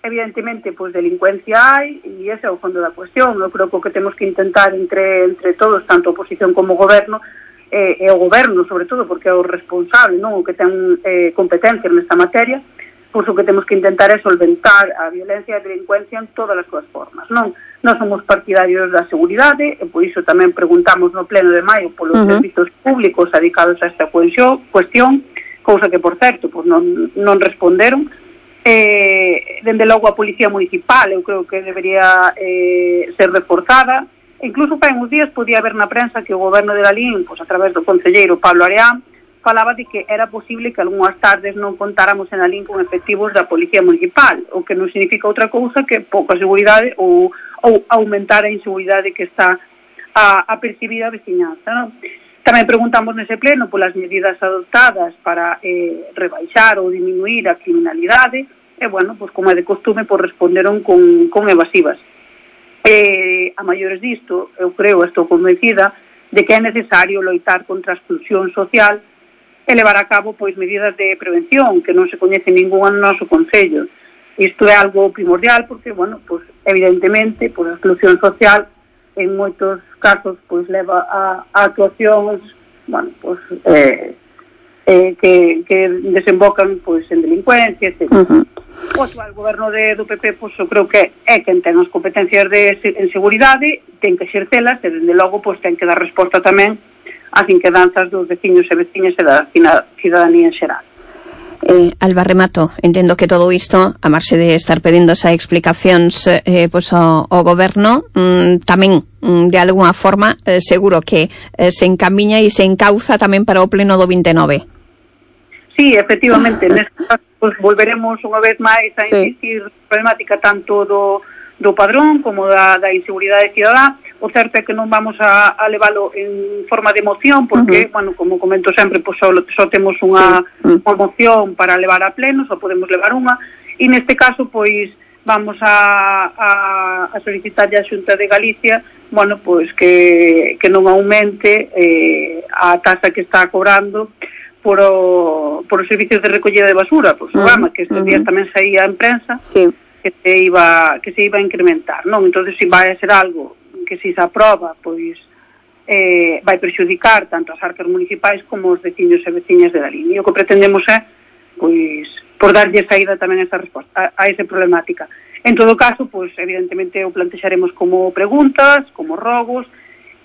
Evidentemente, pois delincuencia hai e ese é o fondo da cuestión. Eu creo que o que temos que intentar entre todos, tanto a oposición como o goberno, e o goberno, sobre todo, porque é o responsable, non o que ten competencia nesta materia, pois o que temos que intentar é solventar a violencia e a delincuencia en todas as súas formas, non? Nós somos partidarios da seguridade e por iso tamén preguntamos no pleno de maio polos servizos públicos dedicados a esta cuestión, cousa que, por certo, pois non responderon. Dende logo a Policía Municipal eu creo que debería ser reforzada. Incluso fai uns días podía haber na prensa que o goberno de Lalín, pois a través do concelleiro Pablo Areán, falaba de que era posible que algunhas tardes non contáramos en Lalín con efectivos da Policía Municipal, o que non significa outra cousa que pouca seguridade ou aumentar a inseguridade que está a percibir a veciñanza, non? Tamén preguntamos nese pleno polas medidas adoptadas para rebaixar ou diminuir a criminalidade e, bueno, pois como é de costume, pois responderon con evasivas. A maiores disto, eu creo, estou convencida de que é necesario loitar contra a exclusión social e levar a cabo pois medidas de prevención que non se coñece ningún no noso Concello. Isto é algo primordial porque, bueno, pois evidentemente, pois a exclusión social en moitos casos pois leva a actuacións, bueno, pois que desembocan pois en delincuencia, etc. O actual goberno do PP, pois eu creo que é quen ten as competencias en seguridade, ten que exercelas e dende logo pois ten que dar resposta tamén ás inquedanzas dos veciños e veciñas e da cidadanía en xeral. Alba, remato, entendo que todo isto, a marxe de estar pedindo esas explicacións pois ao goberno, tamén de alguna forma seguro que se encamiña e se encauza tamén para o pleno do 29. Sí, efectivamente, neste caso pues, volveremos unha vez máis a insistir na problemática tanto do padrón como da inseguridade cidadá. O certo é que non vamos a leválo en forma de moción porque, bueno, como comento sempre, pues, só temos unha moción para levar a pleno, só podemos levar unha, e neste caso, pois, vamos a solicitar a Xunta de Galicia, bueno, pois que non aumente a taxa que está cobrando por os servicios de recollida de basura, por o programa que estes días tamén saía en prensa, que se iba a incrementar, non? Entón, se vai a ser algo que se aproba, pois vai perxudicar tanto as arcas municipais como os veciños e veciñas de Lalín. E o que pretendemos é, pois, por darlle saída tamén a esa resposta, a esa problemática. En todo caso, pois, evidentemente o plantexaremos como preguntas, como rogos,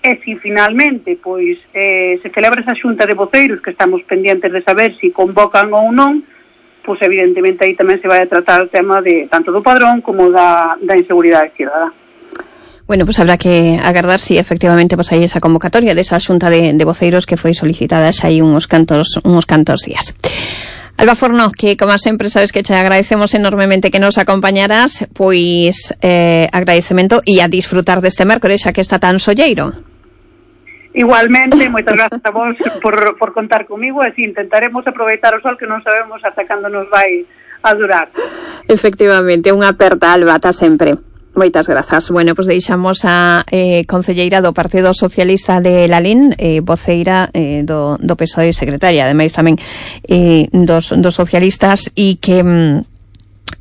e se finalmente, pois, se celebra esa xunta de voceiros que estamos pendientes de saber se convocan ou non, pois, evidentemente, aí tamén se vai a tratar o tema de tanto do padrón como da inseguridade cidadá. Bueno, pues habrá que agardar si efectivamente pues hai esa convocatoria desa xunta de voceiros que foi solicitada xa hai uns cantos días. Alba Forno, que como sempre sabes que te agradecemos enormemente que nos acompañaras, pois agradecemento e a disfrutar deste mércores xa que está tan solleiro. Igualmente, moitas grazas a vos por contar comigo, e así intentaremos aproveitar o sol que non sabemos ata cando nos vai a durar. Efectivamente, unha aperta, Alba, ata sempre. Moitas grazas. Bueno, pues deixamos a concelleira do Partido Socialista de Lalín, voceira do PSOE, secretaria, ademais tamén dos socialistas, e que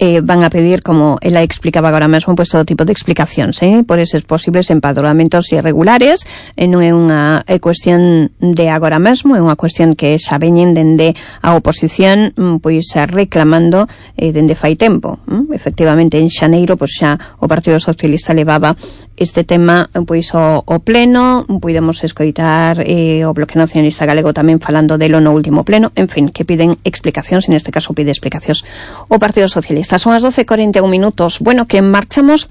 van a pedir, como ela explicaba agora mesmo, pues todo tipo de explicacións por eses posibles empadronamentos irregulares. Non é unha cuestión de agora mesmo, é unha cuestión que xa veñen dende a oposición pois reclamando dende fai tempo. Efectivamente, en xaneiro pois xa o Partido Socialista levaba este tema pois ao pleno, podemos escoitar o Bloque Nacionalista Galego tamén falando delo no último pleno, en fin, que piden explicacións, en este caso pide explicacións o Partido Socialista. Son as 12:41 minutos. Bueno, que marchamos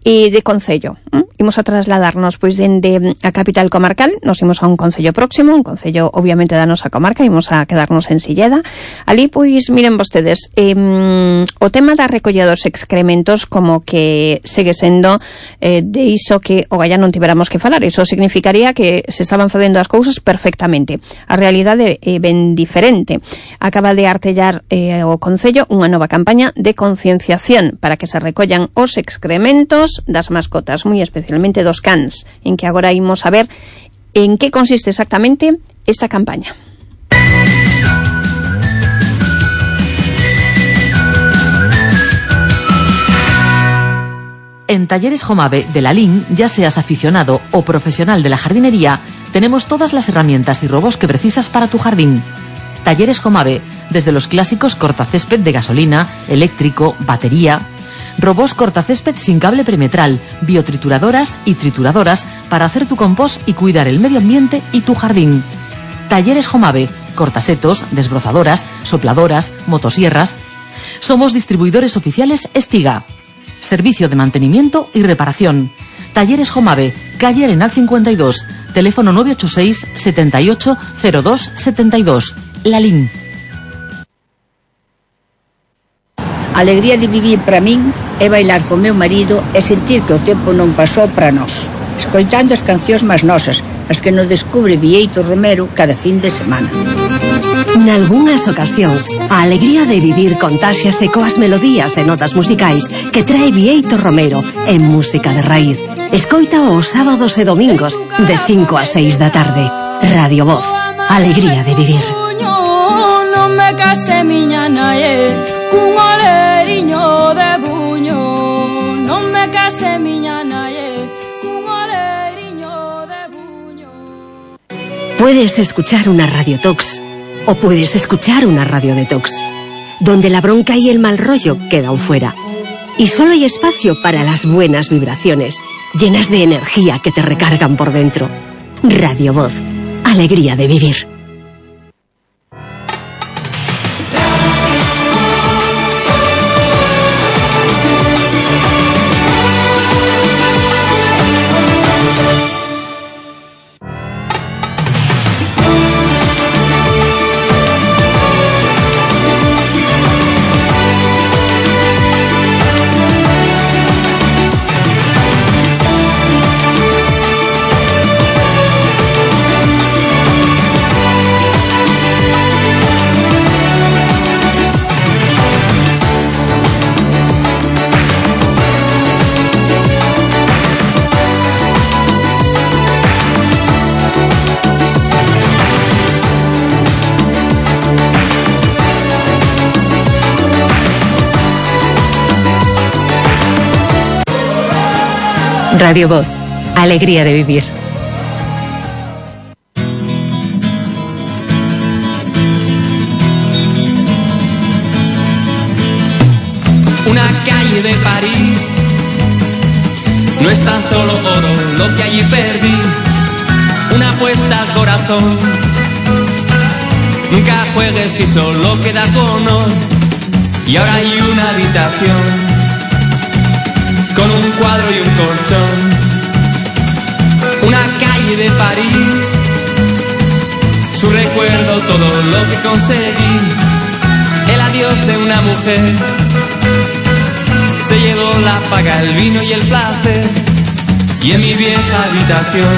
de concello. Imos a trasladarnos pois dende a capital comarcal, nos imos a un concello próximo, un concello obviamente da nosa comarca, imos a quedarnos en Silleda. Ali pois miren vostedes, o tema da recollida dos excrementos como que segue sendo de iso que o galla non tiveramos que falar. Iso significaría que se estaban facendo as cousas perfectamente. A realidade é ben diferente. Acaba de artellar o concello unha nova campaña de concienciación para que se recollan os excrementos das mascotas, moi especialmente dos cans, en que agora imos a ver en que consiste exactamente esta campaña. En Talleres Jomave de Lalín, ya seas aficionado o profesional de la jardinería, tenemos todas las herramientas y robos que precisas para tu jardín. Talleres Jomave, desde los clásicos cortacésped de gasolina, eléctrico, batería, robos cortacésped sin cable perimetral, biotrituradoras y trituradoras para hacer tu compost y cuidar el medio ambiente y tu jardín. Talleres Jomave, cortasetos, desbrozadoras, sopladoras, motosierras. Somos distribuidores oficiales Estiga. Servicio de mantenimiento y reparación. Talleres Jomave, calle Arenal 52, teléfono 986 78 02 72, Lalín. A alegría de vivir para min é bailar co meu marido e sentir que o tempo non pasou para nós, escoitando as cancións máis nosas, as que nos descubre Bieito Romero cada fin de semana. Nalgúnas ocasións, a alegría de vivir contáxiase coas melodías e notas musicais que trae Bieito Romero en Música de Raíz. Escoita os sábados e domingos de 5 a 6 da tarde. Radio Voz, alegría de vivir. Non me case miña nae, cun oleriño de buño. Non me case miña nae, cun oleriño de buño. Puedes escuchar una Radio Tox o puedes escuchar una Radio Detox, donde la bronca y el mal rollo quedan fuera. Y solo hay espacio para las buenas vibraciones, llenas de energía que te recargan por dentro. Radio Voz, alegría de vivir. Radio Voz. Alegría de vivir. Una calle de París no es tan solo oro lo que allí perdí. Una apuesta al corazón. Nunca juegues si solo queda tu honor. Y ahora hay una habitación con un cuadro y un colchón. Una calle de París, su recuerdo, todo lo que conseguí. El adiós de una mujer se llevó la paga, el vino y el placer. Y en mi vieja habitación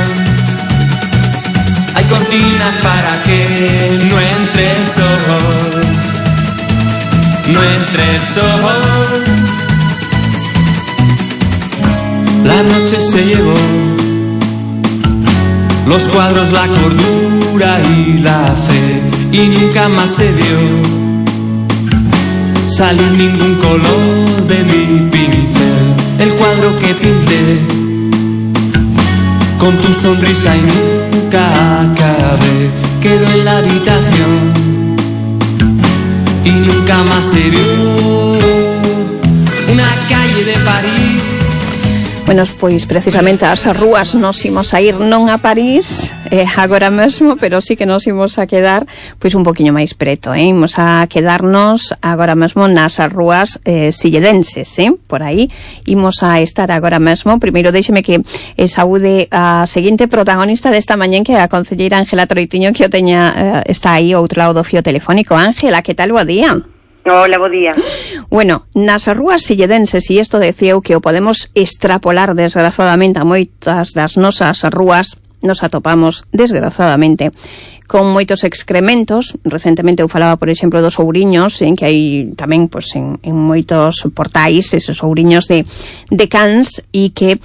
hay cortinas para que no entre el sol, no entre el sol. La noche se llevó los cuadros, la cordura y la fe, y nunca más se vio salir ningún color de mi pincel. El cuadro que pinté con tu sonrisa y nunca acabé quedó en la habitación y nunca más se vio. Una calle de París. Bueno, pois precisamente ás rúas nos imos a ir non a París agora mesmo, pero sí que nos imos a quedar pois un poquinho máis preto, imos a quedarnos agora mesmo nas rúas silledenses, por aí imos a estar agora mesmo. Primeiro déixeme que saúde a seguinte protagonista desta mañá, que é a concelleira Ángela Troitiño, que o teña está aí ao outro lado do fío telefónico. Ángela, que tal, bo día? Hola, bo día. Bueno, nas rúas silledenses, e isto decía eu que o podemos extrapolar desgraciadamente a moitas das nosas rúas, nos atopamos desgraciadamente con moitos excrementos. Recentemente eu falaba, por exemplo, dos ouriños, en que hai tamén pois, en moitos portais esos ouriños de cans, e que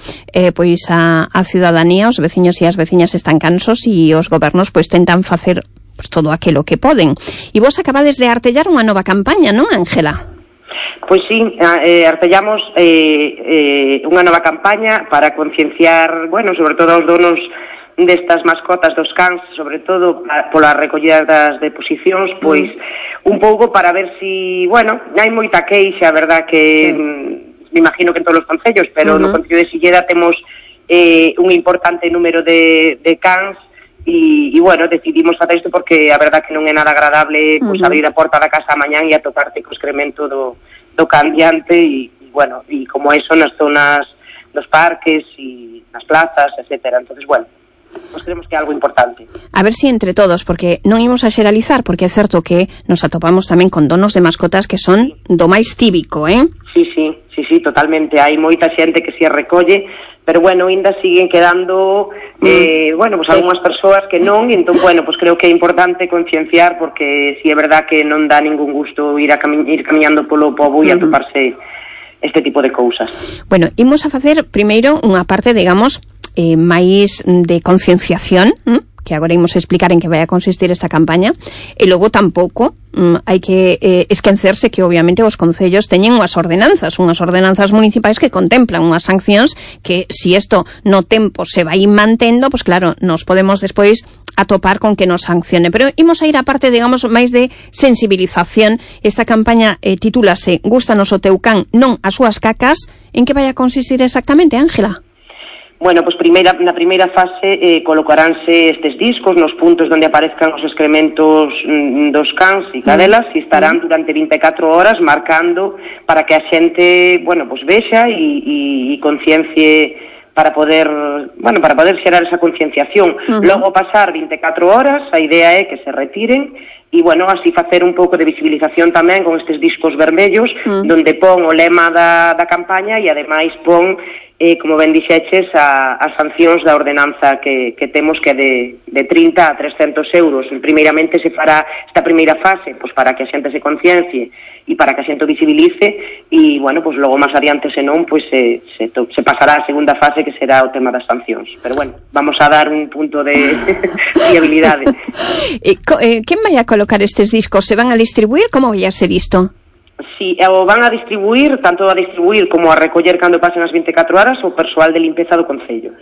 pois a ciudadanía, os veciños e as veciñas están cansos, e os gobernos pois tentan facer pues todo aquilo que poden. E vos acabades de artellar unha nova campaña, non, Ángela? Pois sí, artellamos unha nova campaña para concienciar, bueno, sobre todo aos donos destas mascotas dos cans, sobre todo pola recollida das deposicións, pois un pouco para ver si, bueno, hai moita queixa, verdad, que me imagino que en todos os concellos, pero no concello de Silleda temos un importante número de cans. E bueno, decidimos facer isto porque a verdad que non é nada agradable pois abrir a porta da casa a mañán e atoparte co excremento do cambiante e bueno, e como eso nas zonas dos parques e nas plazas, etcétera. Entonces, bueno, pues creemos que é algo importante. A ver si entre todos, porque non imos a xeralizar, porque é certo que nos atopamos tamén con donos de mascotas que son do máis cívico, Sí, totalmente. Hai moita xente que se recolle, pero bueno, ainda siguen quedando bueno, pues algunhas persoas que non, e entón, bueno, pues creo que é importante concienciar, porque si é verdad que non dá ningún gusto ir camiñando polo pobo e atoparse este tipo de cousas. Bueno, imos a facer primeiro unha parte, digamos, máis de concienciación, que agora imos a explicar en que vai a consistir esta campaña, e logo tampouco hai que esquecerse que obviamente os concellos teñen unhas ordenanzas municipais que contemplan unhas sancións que si isto no tempo se vai mantendo, pues claro, nos podemos despois atopar con que nos sancione. Pero imos a ir a parte, digamos, máis de sensibilización. Esta campaña titúlase Gústanos o teu can, non as súas cacas. En que vai a consistir exactamente, Ángela? Bueno, pues na primeira fase colocaránse estes discos nos puntos onde aparezcan os excrementos dos cans e cadelas e estarán durante 24 horas marcando para que a xente, bueno, pues vexa e conciencie para poder xerar esa concienciación. Logo pasar 24 horas, a idea é que se retiren e, bueno, así facer un pouco de visibilización tamén con estes discos vermellos donde pon o lema da campaña e ademais pon como ben dixeches, as sancións da ordenanza que temos, que é de 30 a 300 euros. Primeiramente se fará esta primeira fase pues, para que a xente se conciencie e para que a xente o visibilice e, bueno, pues, logo máis adiante, senón, pues, se pasará a segunda fase, que será o tema das sancións. Pero, bueno, vamos a dar un punto de fiabilidade. Quen vai a colocar estes discos? Se van a distribuir? Como vai a ser isto? Si o van a distribuir, tanto a distribuir como a recoller cando pasen as 24 horas o persoal de limpeza do Concello.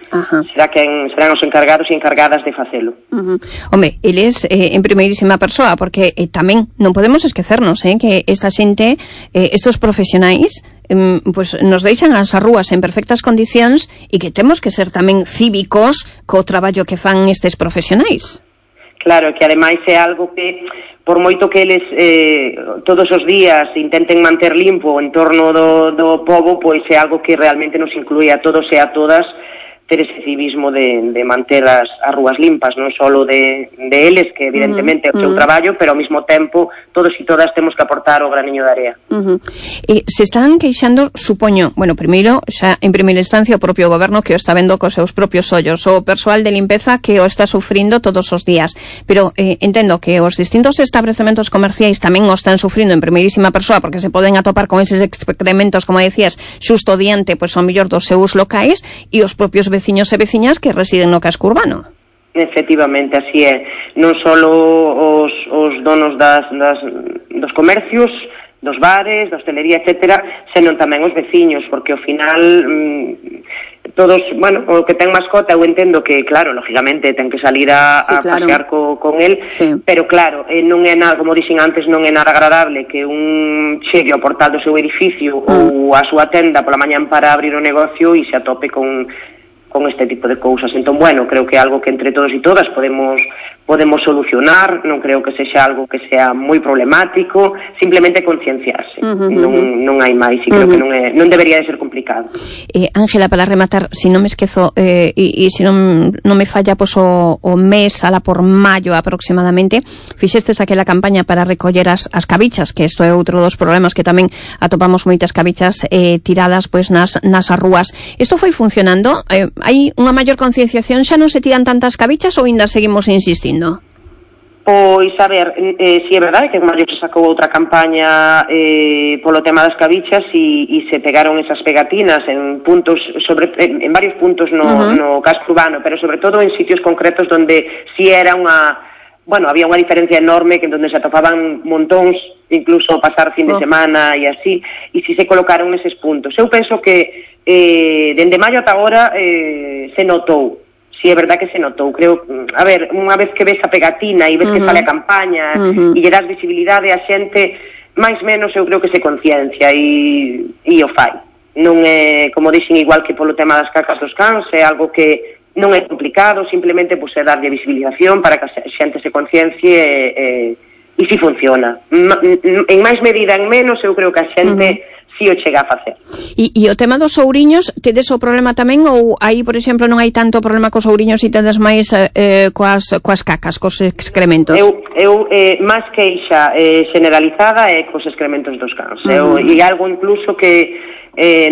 Serán os encargados e encargadas de facelo. Home, eles en primeirísima persoa, porque tamén non podemos esquecernos que esta xente, estos profesionais, pues nos deixan as rúas en perfectas condicións e que temos que ser tamén cívicos co traballo que fan estes profesionais. Claro, que ademais é algo que, por moito que eles todos os días intenten manter limpo o entorno do pobo, pois é algo que realmente nos inclúe a todos e a todas ter ese civismo de manter as rúas limpas, non só de eles, que evidentemente é o seu traballo, pero ao mesmo tempo todos e todas temos que aportar o graniño de area. Se están queixando, supoño, bueno, primeiro, xa en primeira instancia o propio goberno que o está vendo cos seus propios ollos, o persoal de limpeza que o está sufrindo todos os días, pero entendo que os distintos establecementos comerciais tamén o están sufrindo en primeirísima persoa, porque se poden atopar con eses excrementos, como decías, xusto diante, pois, ao mellor dos seus locais, e os propios veciños e veciñas que residen no casco urbano. Efectivamente, así é. Non só os donos dos comercios, dos bares, da hostelería, etcétera, senón tamén os veciños, porque ao final todos, bueno, o que ten mascota, eu entendo que, claro, lógicamente ten que salir a pasear con el, pero claro, non é nada, como dixen antes, non é nada agradable que un chegue ao portal do seu edificio ou a súa tenda pola mañán para abrir o negocio e se atope con este tipo de cousas. Entón, bueno, creo que é algo que entre todos e todas podemos solucionar, non creo que sexa algo que sea moi problemático, simplemente concienciarse, non hai máis, e creo que non debería de ser complicado. Ángela, para rematar, se non me esquezo, e se non me falla, pois o mes, ala por maio aproximadamente, fixestes aquela campaña para recoller as cabichas, que isto é outro dos problemas, que tamén atopamos moitas cabichas tiradas pois nas rúas. Isto foi funcionando? Hai unha maior concienciación, xa non se tiran tantas cabichas ou ainda seguimos insistindo? Pois, a ver, si é verdade que en maio se sacou outra campaña polo tema das cabichas e se pegaron esas pegatinas en puntos, en varios puntos no casco urbano, pero sobre todo en sitios concretos donde si era había unha diferencia enorme, que donde se atopaban montóns, incluso pasar fin de semana e así, e si se colocaron neses puntos. Eu penso que dende maio ata agora se notou, si é verdad que se notou, creo, a ver, unha vez que ves a pegatina e ves que sale a campaña e lle das visibilidade a xente, máis menos eu creo que se conciencia e o fai. Non é, como dixen, igual que polo tema das cacas dos cans, é algo que non é complicado, simplemente é darlle visibilización para que a xente se conciencie e si funciona. En máis medida, en menos, eu creo que a xente si o chega a facer. E o tema dos ouriños, tedes o problema tamén, ou aí, por exemplo, non hai tanto problema cos ouriños e tedes máis coas cacas, cos excrementos? Eu máis queixa generalizada é cos excrementos dos cans. E algo incluso que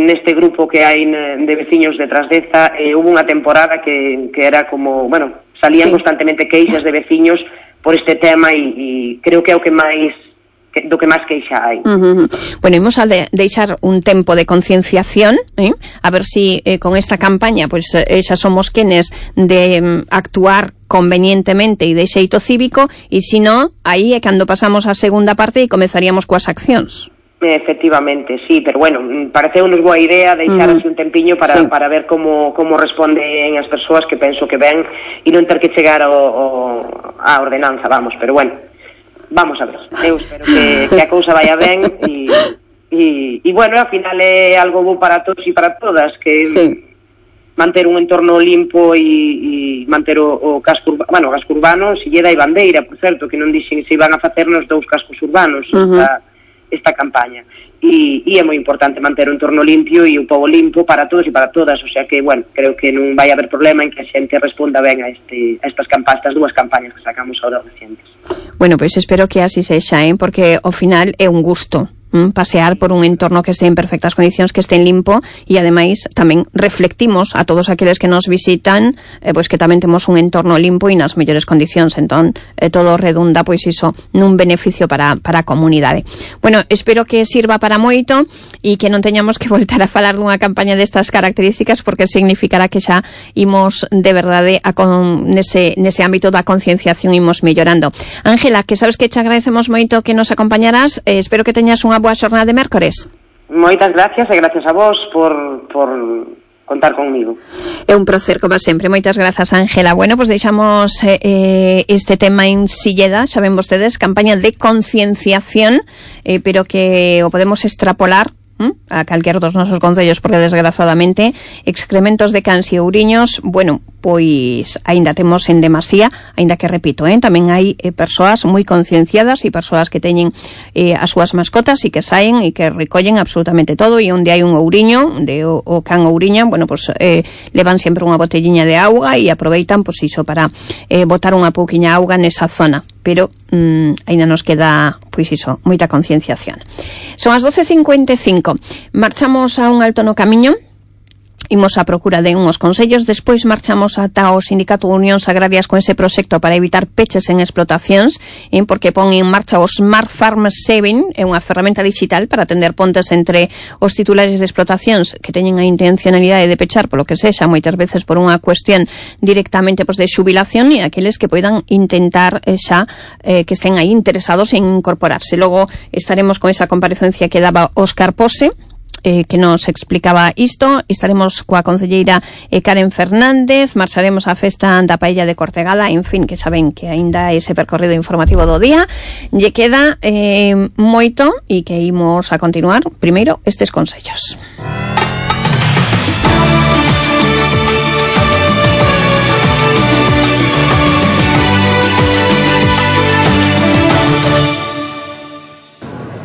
neste grupo que hai de veciños de Trasdeza, hubo unha temporada que era como, bueno, salían constantemente queixas de veciños por este tema e creo que é o que máis do que máis queixa hai. Bueno, imos a deixar un tempo de concienciación, a ver si con esta campaña pois xa somos quenes de actuar convenientemente e de xeito cívico, e se non, aí é cando pasamos a segunda parte e comezaríamos coas accións. Efectivamente, sí, pero bueno, pareceunos boa idea deixar así un tempiño para ver como responden as persoas, que penso que ven, e non ter que chegar a ordenanza, vamos, pero bueno, vamos a ver, eu espero que a cousa vaya ben e bueno, ao final é algo bo para todos e para todas, que manter un entorno limpo e manter o casco urbano, o casco urbano, se lle dai bandeira, por certo, que non dixen se iban a facernos 2 cascos urbanos esta campaña, e é moi importante manter o entorno limpio e o pobo limpo para todos e para todas, o sea que, bueno, creo que non vai haber problema en que a xente responda ben a estas 2 campañas que sacamos ahora recientes. Bueno, pois espero que así sexa, porque ao final é un gusto pasear por un entorno que este en perfectas condicións, que este en limpo, e ademais tamén reflectimos a todos aqueles que nos visitan pois que tamén temos un entorno limpo e nas mellores condicións, entón todo redunda pois iso nun beneficio para a comunidade. Bueno, espero que sirva para moito e que non teñamos que voltar a falar dunha campaña destas características, porque significará que xa imos de verdade nese ámbito da concienciación imos mellorando. Ángela, que sabes que te agradecemos moito que nos acompañarás, espero que teñas unha boa xornada de mércores. Moitas gracias e gracias a vos por contar conmigo. É un placer, como sempre. Moitas grazas, Ángela. Bueno, pues deixamos este tema en Silleda, xa ven vostedes, campaña de concienciación, pero que o podemos extrapolar a calquer dos nosos concellos, porque desgraciadamente excrementos de cans e ouriños, bueno, pois aínda temos en demasía, aínda que repito, tamén hai persoas moi concienciadas e persoas que teñen as súas mascotas e que saen e que recollen absolutamente todo, e onde hai un ouriño, o can ouriña, bueno, pues levan sempre unha botelliña de auga e aproveitan, pues iso, para botar unha pouquiña auga nesa zona, pero aínda nos queda, pois iso, moita concienciación. Son as 12:55. Marchamos a un alto no camiño, imos á procura de unhos consellos, despois marchamos ata o Sindicato de Unións Agrarias con ese proxecto para evitar peches en explotacións, porque pon en marcha o Smart Farm Saving, é unha ferramenta digital para atender pontes entre os titulares de explotacións que teñen a intencionalidade de pechar polo que sexa, moitas veces por unha cuestión directamente de xubilación, e aqueles que poidan intentar xa que estén aí interesados en incorporarse. Logo estaremos con esa comparecencia que daba Óscar Pose, que nos explicaba isto. Estaremos coa concelleira Karen Fernández, marcharemos á festa da Paella de Cortegada, en fin, que saben que aínda ese percorrido informativo do día lle queda moito, e que imos a continuar primeiro estes consellos.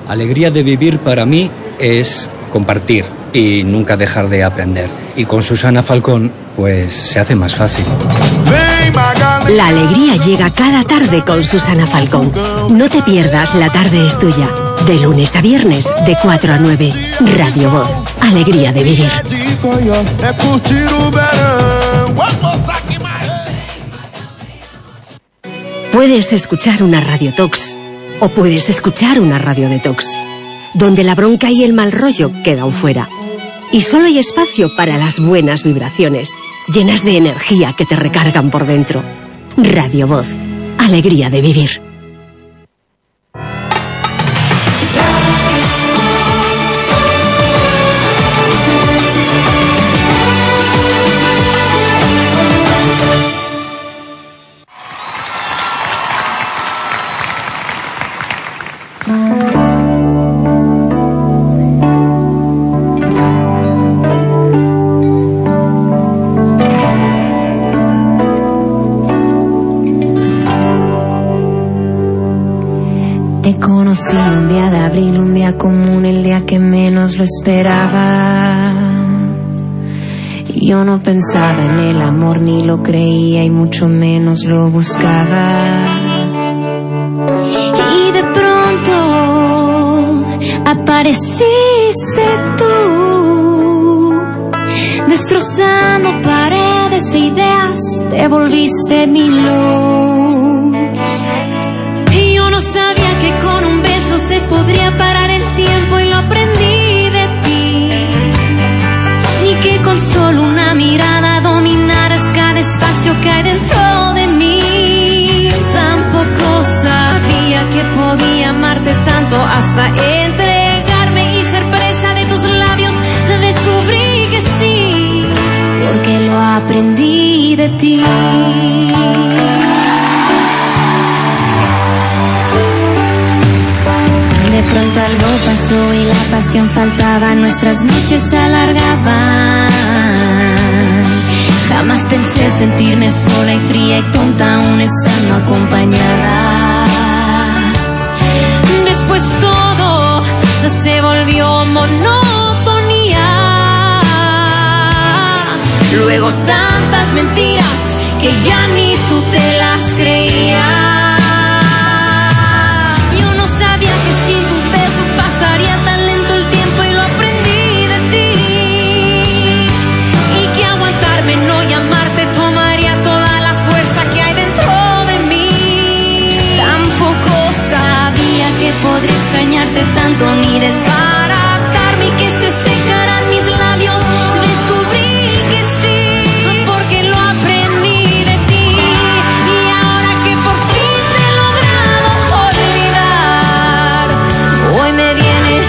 Alegría de vivir para mí es compartir y nunca dejar de aprender. Y con Susana Falcón, pues se hace más fácil. La alegría llega cada tarde con Susana Falcón. No te pierdas La tarde es tuya. De lunes a viernes, de 4 a 9. Radio Voz. Alegría de vivir. Puedes escuchar una Radio Tox o puedes escuchar una Radio Detox, donde la bronca y el mal rollo quedan fuera. Y solo hay espacio para las buenas vibraciones, llenas de energía que te recargan por dentro. Radio Voz. Alegría de vivir. Conocí un día de abril, un día común, el día que menos lo esperaba. Yo no pensaba en el amor, ni lo creía y mucho menos lo buscaba. Y de pronto apareciste tú, destrozando paredes e ideas, te volviste mi luz. Y yo no sabía que con un beso se podría parar el tiempo, y lo aprendí de ti. Ni que con solo una mirada dominaras cada espacio que hay dentro de mí. Tampoco sabía que podía amarte tanto hasta entregarme y ser presa de tus labios. Descubrí que sí, porque lo aprendí de ti. De pronto algo pasó y la pasión faltaba, nuestras noches se alargaban. Jamás pensé sentirme sola y fría y tonta aún estando acompañada. Después todo se volvió monotonía. Luego tantas mentiras que ya ni tú te las creías. Pasaría tan lento el tiempo y lo aprendí de ti. Y que aguantarme, no llamarte, tomaría toda la fuerza que hay dentro de mí. Tampoco sabía que podría extrañarte tanto, ni desbaratarme y que se secaran mis labios. Descubrí que sí, porque lo aprendí de ti. Y ahora que por fin te he logrado olvidar, hoy me vienes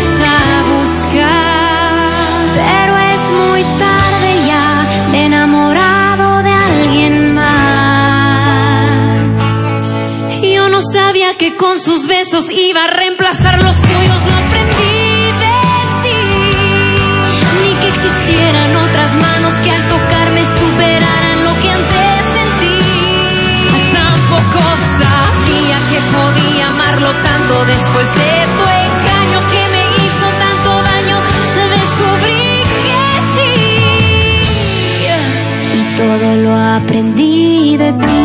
que con sus besos iba a reemplazar los tuyos. No aprendí de ti, ni que existieran otras manos que al tocarme superaran lo que antes sentí. Tampoco sabía que podía amarlo tanto después de tu engaño que me hizo tanto daño. Descubrí que sí, y todo lo aprendí de ti.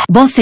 Voces